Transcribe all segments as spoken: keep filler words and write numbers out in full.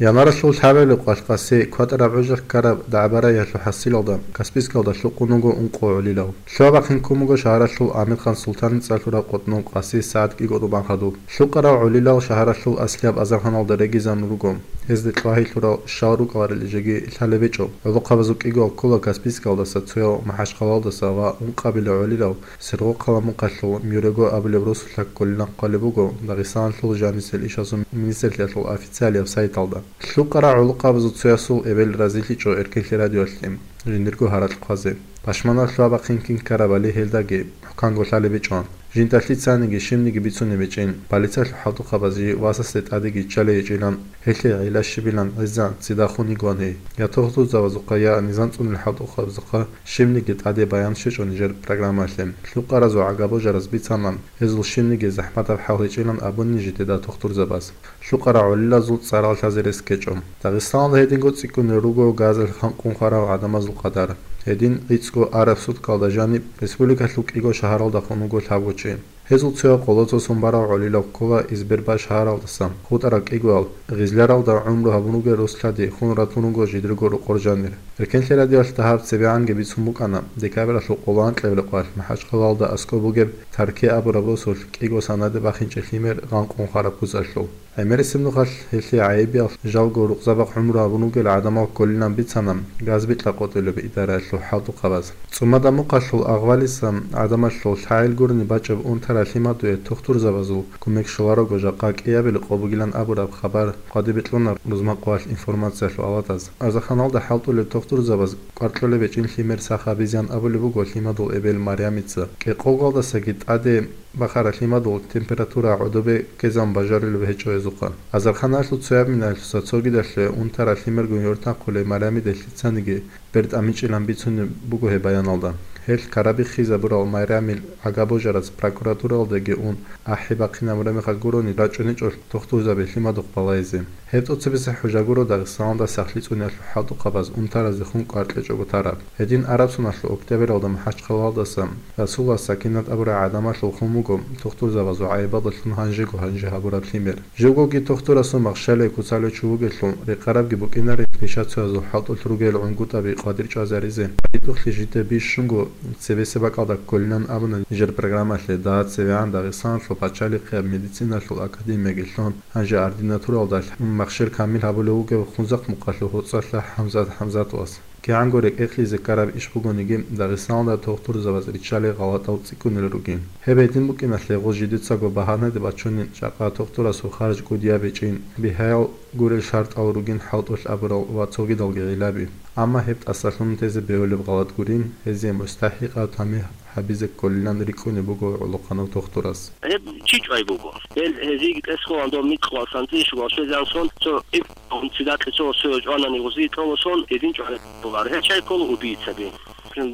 Январалъул лъабабилеб къоялъ къаси кватӀараб гӀужалъ ккараб дагӀба-рагӀиялъул хӀасилалда Каспийскалда лъукъун вуго ункъо гӀолилав. Лъугьа-бахъин ккун буго шагьаралъул Амирхан-Султаница лъураб къотӀнов къаси сагӀат кӀиго тӀубан хадуб. Лъукъарав гӀолилав шагьаралъул аслияб азарханалда регизабун руго. Гьезде кьвагьи лъурал щал рукӀаларел жеги лъалеб гьечӀо. ГӀолохъабазул кӀигоял ккола Каспийскалдаса, цояв МахӀачхъалалдаса ва ункъабилев гӀолилав Сергокъала Мухъалъул Мюрего абулеб росулъа кколилан хъвалеб буго Дагъистаналъул жанисел ишазул министрлъиялъул официалияб сайталда. Лъукъарал гӀолохъабазул цоясул эбел разилъичӀо Эркенлъи радиоялъе жиндирго гьаракь хъвазе. Пашманаб лъугьа-бахъин кин ккарабали гьелдаги хӀуканго лъалеб гьечӀо. Жинда лъицаниги щибниги бицунеб гьечӀин, полициялъул хӀалтӀухъабаз жий васасде тӀадеги чӀалей гьечӀилан, гьелъие гӀилла щибилан гӀезегӀан цидахун йигоан гьей. Я тохтурзабазухъа, я низам цӀунел хӀалтӀухъабазухъа щибниги тӀаде баян щвечӀо нижер программаялъе. Лъукъаразул гӀага-божараз бицана, гьезул щибниги захӀматаб хӀал гьечӀилан абуни жидеда тохтурзабаз. Лъукъарал гӀолилазул цӀарал лъазе рес ккечӀо. Дагъистаналда гьединго цӀикӀкӀунел руго газалъ ханкъун хварал гӀадамазул къадар. Гьедин гӀицӀго араб суткалда жаниб республикалъул кӀиго шагьаралдахун вуго лъабго чи. Гьезул цояв къоло цо сон барав гӀолилав ккола Избербаш шагьаралдаса, хутӀарал кӀигоял, гъизляралда гӀумру гьабун ругел рос-лъади хун ратун руго жидерго рокъор жанир. Эркенлъи радиоялъ дагьаб цебегӀанги бицун букӀана декабралъул къоло анкьабилеб къоялъ МахӀачхъалалда аскӀоб бугеб Тарке абураб росулъ кӀиго санаде бахинчӀеб лъимер гъанкъун хвараб куцӀалъул. ГӀемерисеб нухалъ гьелъие гӀайибиялъ жалго рукъзабахъ гӀумру гьабун ругел гӀадамал кколилан бицана газбикьа къотӀулеб идараялъул хӀалтӀухъабаз. ЦӀумада Мухъалъул Агъвалиса гӀадамалъул лъагӀел гурони бачӀаб унтарал лъимадуе тохтурзабазул кумек щоларого жакъа кӀиабилеб къо бугилан абураб хабар хъвади бикьуна рузман къоялъ информациялъул аватаз. Азарханалда хӀалтӀулел тохтурзабаз кӀвар кьолеб гьечӀин лъимер сах гьабизеян абулеб буго лъимадул эбел Марямица. КӀикъоялдасаги тӀаде бахараб лъимадул температура гӀодобе ккезабун бажарулеб гьечӀо гьезухъа. Азарханалъул цояб минаялъуса цогидалъуве унтарал лъимерго гӀортахъулей Марямида лъицаниги бертӀамичӀилан бицунеб буго гьеб баяналда. Гьелъ ккарабиххизабурал Марямил гӀага-божараз прокуратуралдаги ун ахӀи бахъинабураб мехалъ гурони рачӀунечӀо тохтурзаби лъимадухъ балайзе. Гьеб тӀоцебесеб хӀужа гуро Дагъистаналда сахлъи цӀуниялъул хӀалтӀухъабаз унтаразе хун кӀвар кьечӀого тараб. Гьедин араб соналъул октябралда МахӀачхъалалдаса Расулас Сакинат абурай гӀадамалъул хун буго тохтурзабазул гӀайибалдалъун гьанжего-гьанже гьабураб лъимер. Живгоги тохтурасул махщалие куцалев чи вугелъул, рекъарабги букӀинарин пишацоязул хӀалтӀулъ ругел гӀунгутӀаби къватӀир чӀвазаризе. ГьитӀухълъи жидее бищунго цебесеб бакӀалда кколилан абуна нижер программалъе, дагьа цевегӀан Дагъистаналъул пачалихъияб медициналъул академияги лъун, гьанже ординатуралда махщел камил гьабулев вугев Хунзахъ Мухъалъул ГьоцӀалъа ХӀамзат ХӀамзатовас. КигӀанго рекӀекълъизе ккараб иш бугониги, Дагъистаналда тохтурзабаз риччалей гъалатӀал цӀикӀкӀунел ругин. Гьеб гьедин букӀиналъе гъо жидецаго багьанаде бачунин жакъа тохтурасул харж кӀудияб гьечӀин, бигьаял гурел шартӀал ругин хӀалтӀулъ абурал ва цогидалги гъилаби. Амма гьеб тӀасалъун тезе бегьулеб гъалатӀ гурин, гьезие мустахӀикъав тамихӀ гьабизе кколилан рикӀкӀунеб буго гӀолохъанав тохтурас. Гьеб чи чӀвай буго? Гьел гьезиеги тӀасалъугьан доб микьгъуал санцӀи щугал щвезегӀан сон, цо иб-, цидакье цо сое чӀванани гъузи тӀоло сон, гьедин чӀвай бугар. Гьел чай ккола убийцаби.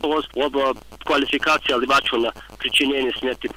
Гъоз гъоб квалификациялде бачуна причинение смерти.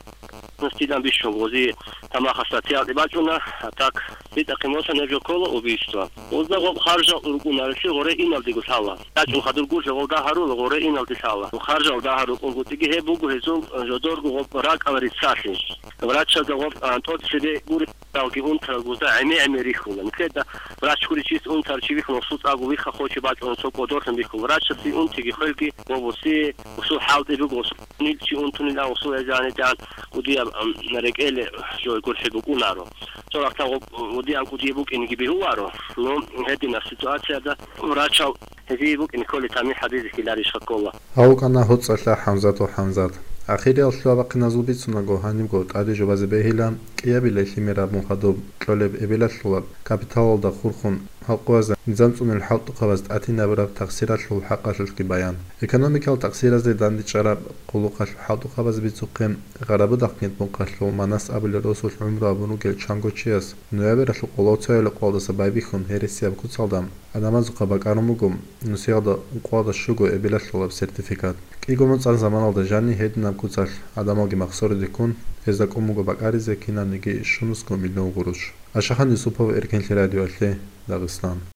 Гъоз цӀидан бищун гъузи тамахалъ статьялде бачуна, а так, цӀитӀахъе мосан гьеб жо ккола убийство. Гъозда гъоб харжал уркӀунарелъи гъоре иналдего лъала. ЯчӀун хадур гуржа гъол дагьарула гъоре иналде лъала. Харжал дагьар рукӀунгутӀиги гьеб буго гьезул жодорго гъоб ракӀал риццалъи. Врачазда гъоб, а, тӀоцебе гури. Ялги унтарал гузда гӀеме-гӀеме рихьула. Нилъеда врач гуричияс унтарав чи вихьун, гъосул цӀакъго вихха хоче бачӀун цо кӀодорлъун бихьула. Врачасе унтиги хвелги гъоб гъосие, гъосул хӀалтӀи буго, гъосул нил чи унтунилан гъосул гьезегӀан гьедигӀан кӀудияб, ам, рекӀеле жо гурхӀи букӀунаро. Цо рахъ гъоб гьедигӀан кӀудияб букӀинеги бегьуларо. Ну, гьединаб ситуацияда врачал гьезие букӀине кколеб тамихӀ гьабизе хьиларищха ккола? Гьав вукӀана ГьоцӀалъа ХӀамзатов ХӀамзат. Ахириял лъугьа-бахъиназул бицунаго, гьанибго тӀаде жубазе бегьила кӀиабилей лъимер абун хадуб кьолеб эбелалъулаб капиталалда хурхун, гьал къоязда низам цӀунел хӀалтӀухъабаз тӀатинабураб тахсиралъул хӀакъалъулъги баян. Экономикал тахсиразде дандчӀвараб къулухъалъул хӀалтӀухъабаз бицухъе, Гъарабудахъ Гьитмухъалъул Манас абулел росулъ гӀумру гьабун ругел чанго чияс ноябралъул къоло цоялъул къоялдаса байбихьун гьересияб куцалда гӀадамазухъа бакӀарун буго нусиялда ункъоялда щуго эбелалъулаб сертификат. КӀиго моцӀан заманалда жаниб гьединаб куцалъ гӀадамалги махсориде ккун, гьезда кӀун буго бакӀаризе кинабниги щунусго миллион гъурущ. Ашахан Юсупов, Эркенлъи радиоялъе, Дагъистан.